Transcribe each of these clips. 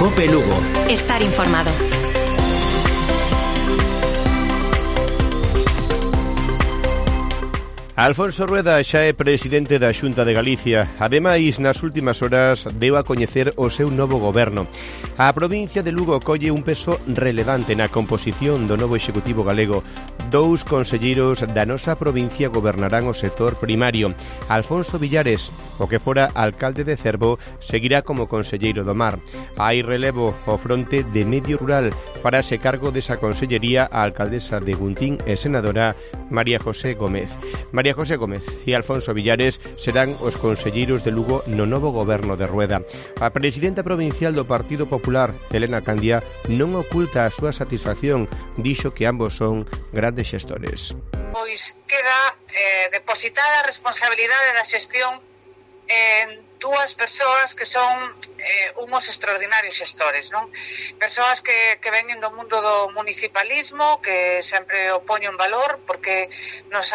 Cope Lugo. Estar informado. Alfonso Rueda xa é presidente da Xunta de Galicia. Ademais, nas últimas horas deu a coñecer o seu novo goberno. A provincia de Lugo colle un peso relevante na composición do novo Executivo galego. 2 conselleiros da nosa provincia gobernarán o sector primario. Alfonso Villares, o que fora alcalde de Cervo, seguirá como conselleiro do mar. Hai relevo ao fronte de Medio Rural. Farase cargo desa consellería a alcaldesa de Guntín e senadora María José Gómez. María José Gómez e Alfonso Villares serán os conselleiros de Lugo no novo goberno de Rueda. A presidenta provincial do Partido Popular, Elena Candia, non oculta a súa satisfacción. Dixo que ambos son grandes xestores. Pois queda depositada a responsabilidade da xestión en dúas persoas que son uns extraordinarios xestores, non? Persoas que veñen do mundo do municipalismo, que sempre o poño en valor porque nos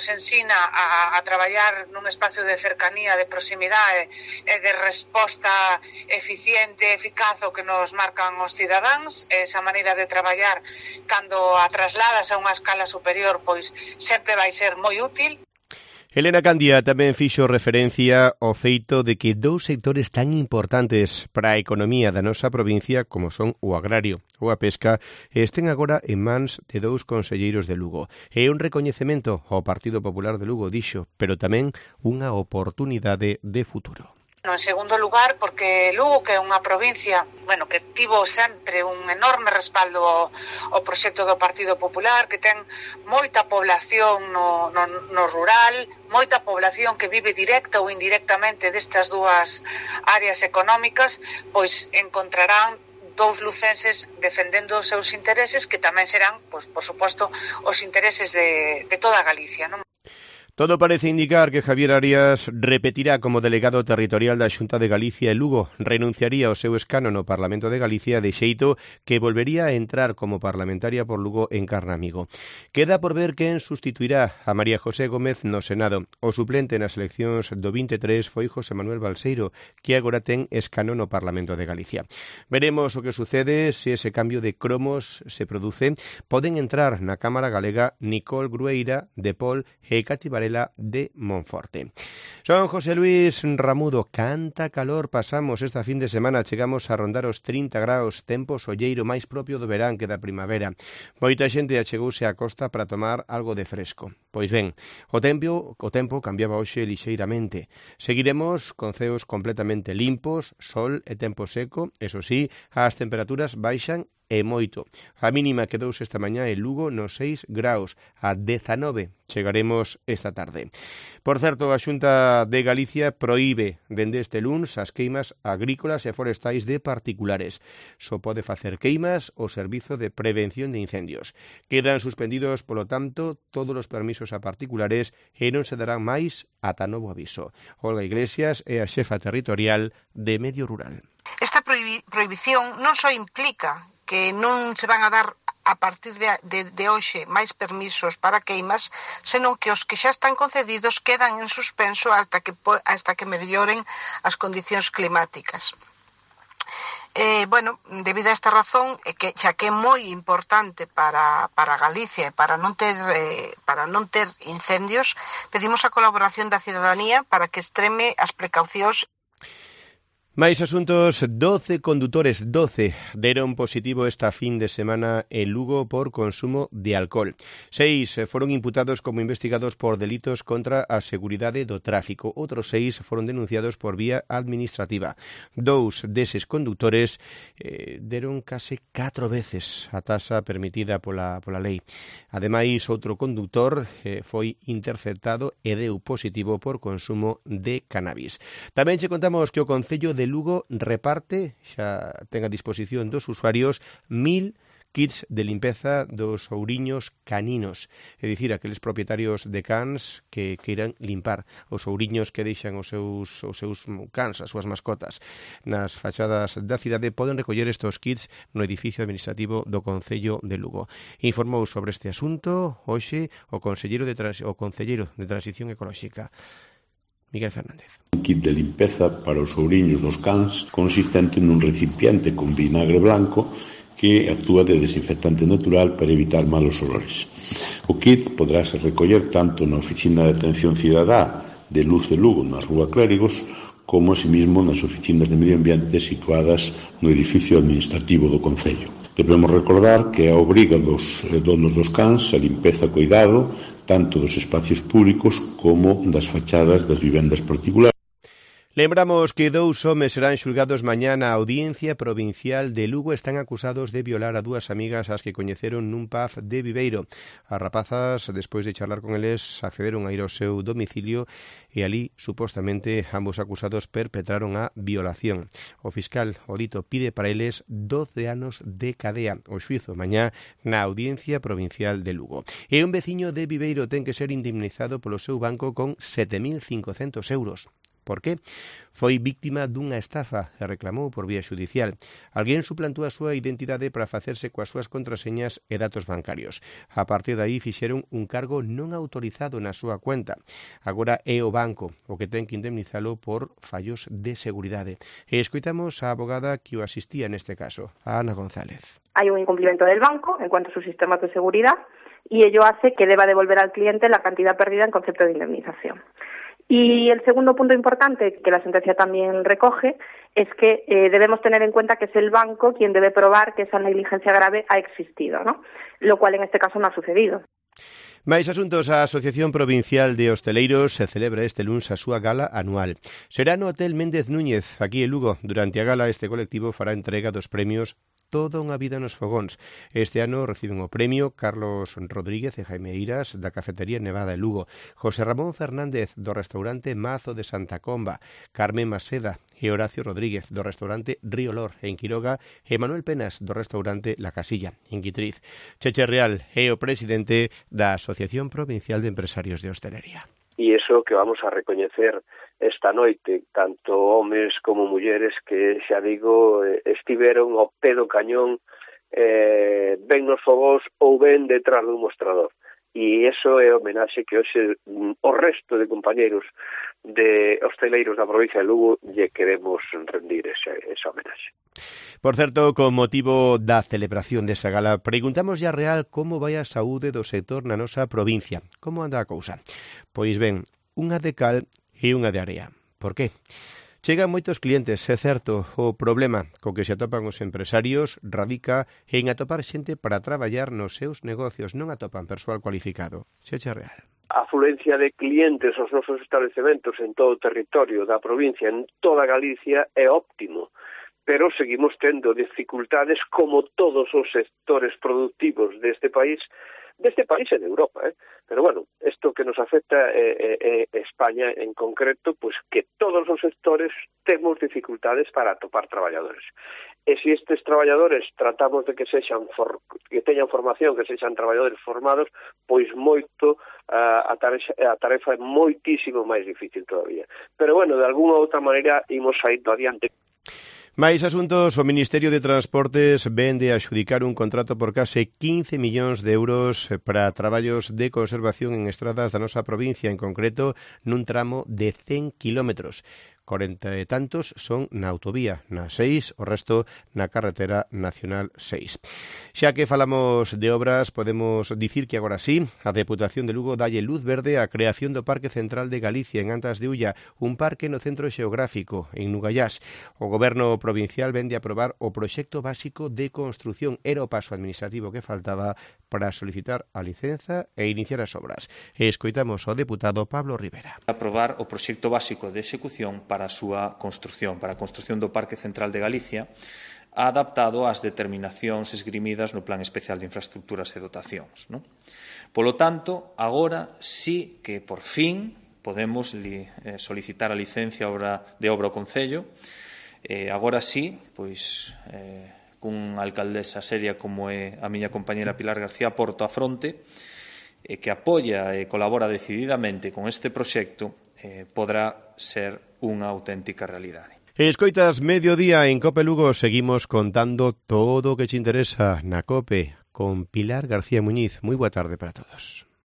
ensina a traballar nun espacio de cercanía, de proximidade e de resposta eficiente, eficaz o que nos marcan os cidadáns. Esa maneira de traballar, cando a trasladas a unha escala superior, pois sempre vai ser moi útil. Elena Candia tamén fixo referencia ao feito de que 2 sectores tan importantes para a economía da nosa provincia como son o agrario ou a pesca estén agora en mans de 2 conselleiros de Lugo. É un recoñecemento ao Partido Popular de Lugo, dixo, pero tamén unha oportunidade de futuro. En segundo lugar, porque Lugo, que é unha provincia, que tivo sempre un enorme respaldo ao proxecto do Partido Popular, que ten moita población no rural, moita población que vive directa ou indirectamente destas dúas áreas económicas, pois encontrarán 2 lucenses defendendo os seus intereses, que tamén serán, pois, por suposto, os intereses de toda Galicia, non? Todo parece indicar que Javier Arias repetirá como delegado territorial da Xunta de Galicia e Lugo. Renunciaría ao seu escano no Parlamento de Galicia de xeito que volvería a entrar como parlamentaria por Lugo en Carnamigo. Queda por ver quen sustituirá a María José Gómez no Senado. O suplente nas eleccións do 23 foi José Manuel Balseiro, que agora ten escano no Parlamento de Galicia. Veremos o que sucede se ese cambio de cromos se produce. Poden entrar na Cámara Galega Nicole Grueira de Pol e Cati Varela de Monforte. Son José Luis Ramudo. Canta calor pasamos esta fin de semana. Chegamos a rondar os 30 graus, tempo solleiro máis propio do verán que da primavera. Moita xente achegouse á costa para tomar algo de fresco. Pois ben, o tempo cambiaba hoxe lixeiramente. Seguiremos con ceos completamente limpos, sol e tempo seco. Eso sí, as temperaturas baixan e moito. A mínima quedouse esta mañá en Lugo nos 6 graus, a 19 chegaremos esta tarde. Por certo, a Xunta de Galicia proíbe dende este luns as queimas agrícolas e forestais de particulares. Só pode facer queimas o Servizo de Prevención de Incendios. Quedan suspendidos, polo tanto, todos os permisos a particulares e non se darán máis ata novo aviso. Olga Iglesias é a xefa territorial de Medio Rural. Esta prohibición non só implica que non se van a dar a partir de hoxe máis permisos para queimas, senón que os que xa están concedidos quedan en suspenso hasta que melloren as condicións climáticas. Debido a esta razón, xa que é moi importante para Galicia e para non ter incendios, pedimos a colaboración da cidadanía para que extreme as precaucións. Máis asuntos, 12 condutores deron positivo esta fin de semana en Lugo por consumo de alcohol. 6 foron imputados como investigados por delitos contra a seguridade do tráfico. Outros 6 foron denunciados por vía administrativa. 2 deses condutores deron case 4 veces a taxa permitida pola lei. Ademais, outro condutor foi interceptado e deu positivo por consumo de cannabis. Tamén che contamos que o Concello de Lugo reparte, xa ten a disposición dos usuarios, 1000 kits de limpeza dos ouriños caninos, é dicir, aqueles propietarios de cans que queiran limpar os ouriños que deixan os seus cans, as súas mascotas nas fachadas da cidade, poden recoller estes kits no edificio administrativo do Concello de Lugo. Informou sobre este asunto hoxe o Concelleiro de Transición Ecolóxica. Miguel Fernández. Un kit de limpeza para os ouriños dos cans consistente nun recipiente con vinagre blanco que actúa de desinfectante natural para evitar malos olores. O kit poderase recoller tanto na Oficina de Atención Cidadá de Luz de Lugo, na Rúa Clérigos, como asimismo nas oficinas de medio ambiente situadas no edificio administrativo do concello. Debemos recordar que é a obriga dos donos dos cans a limpeza e cuidado tanto dos espacios públicos como das fachadas das vivendas particulares. Lembramos que 2 homes serán xulgados mañá na Audiencia Provincial de Lugo. Están acusados de violar a 2 amigas as que coñeceron nun pub de Viveiro. As rapazas, despois de charlar con eles, accederon a ir ao seu domicilio e ali, supostamente, ambos acusados perpetraron a violación. O fiscal, o dito, pide para eles 12 anos de cadea. O xuizo mañá na Audiencia Provincial de Lugo. E un veciño de Viveiro ten que ser indemnizado polo seu banco con 7.500 euros. Por qué? Foi víctima dunha estafa e reclamou por vía xudicial. Alguén suplantou a súa identidade para facerse coas súas contraseñas e datos bancarios. A partir de aí fixeron un cargo non autorizado na súa cuenta. Agora é o banco o que ten que indemnizalo por fallos de seguridade. E escoitamos a abogada que o asistía neste caso, a Ana González. Hay un incumplimiento del banco en cuanto a sus sistemas de seguridad y ello hace que deba devolver al cliente la cantidad perdida en concepto de indemnización. Y el segundo punto importante que la sentencia también recoge es que debemos tener en cuenta que es el banco quien debe probar que esa negligencia grave ha existido, ¿no? Lo cual en este caso no ha sucedido. Máis asuntos, a Asociación Provincial de Hosteleiros se celebra este luns a súa gala anual. Será no Hotel Méndez Núñez, aquí en Lugo. Durante a gala este colectivo fará entrega dos premios Toda unha vida nos fogóns. Este ano reciben o premio Carlos Rodríguez e Jaime Eiras da Cafetería Nevada de Lugo, José Ramón Fernández do restaurante Mazo de Santa Comba, Carmen Maseda e Horacio Rodríguez do restaurante Río Lor en Quiroga e Manuel Penas do restaurante La Casilla en Guitriz. Cheche Real é o presidente da Asociación Provincial de Empresarios de Hostelería. E iso que vamos a recoñecer esta noite, tanto homes como mulleres que, xa digo, estiveron ao pé do cañón, ben nos fogós ou ben detrás dun mostrador. E iso é homenaxe que hoxe o resto de compañeiros de hosteleiros da provincia de Lugo lle queremos rendir esa homenaxe. Por certo, con motivo da celebración desa gala, preguntamos ya Real como vai a saúde do sector na nosa provincia. Como anda a cousa? Pois ben, unha de cal e unha de area. Por qué? Chegan moitos clientes, é certo. O problema co que se atopan os empresarios radica en atopar xente para traballar nos seus negocios. Non atopan persoal cualificado. Cheche Real. A afluencia de clientes aos nosos establecementos en todo o territorio da provincia, en toda Galicia, é óptimo. Pero seguimos tendo dificultades como todos os sectores productivos deste país e de Europa, Pero bueno, isto que nos afecta España en concreto, pues que todos os sectores temos dificultades para atopar traballadores. E se estes traballadores tratamos de que teñan formación, que sexan traballadores formados, pois moito a tarefa é moitísimo máis difícil todavía. Pero bueno, de algunha outra maneira imos saindo adiante. Máis asuntos, o Ministerio de Transportes vende a adxudicar un contrato por case 15 millóns de euros para traballos de conservación en estradas da nosa provincia, en concreto nun tramo de 100 kilómetros. 40 e tantos son na autovía, na 6, o resto na carretera nacional 6. Xa que falamos de obras, podemos dicir que agora sí, a Deputación de Lugo dalle luz verde á creación do Parque Central de Galicia en Antas de Ulla, un parque no centro xeográfico, en Nugallás. O Goberno provincial vende a aprobar o proxecto básico de construción. Era o paso administrativo que faltaba para solicitar a licenza e iniciar as obras. E escoitamos ao deputado Pablo Rivera. Aprobar o proxecto básico de execución para a súa construción, para a construción do Parque Central de Galicia, adaptado ás determinacións esgrimidas no Plan Especial de Infraestructuras e Dotacións. Polo tanto, agora sí que por fin podemos solicitar a licencia de obra ao Concello. Agora sí, pois cunha alcaldesa seria como é a miña compañera Pilar García Porto a fronte, que apoia e colabora decididamente con este proxecto, podrá ser unha auténtica realidade. Escoitas Mediodía en Cope Lugo, seguimos contando todo o que te interesa na Cope con Pilar García Muñiz. Moi boa tarde para todos.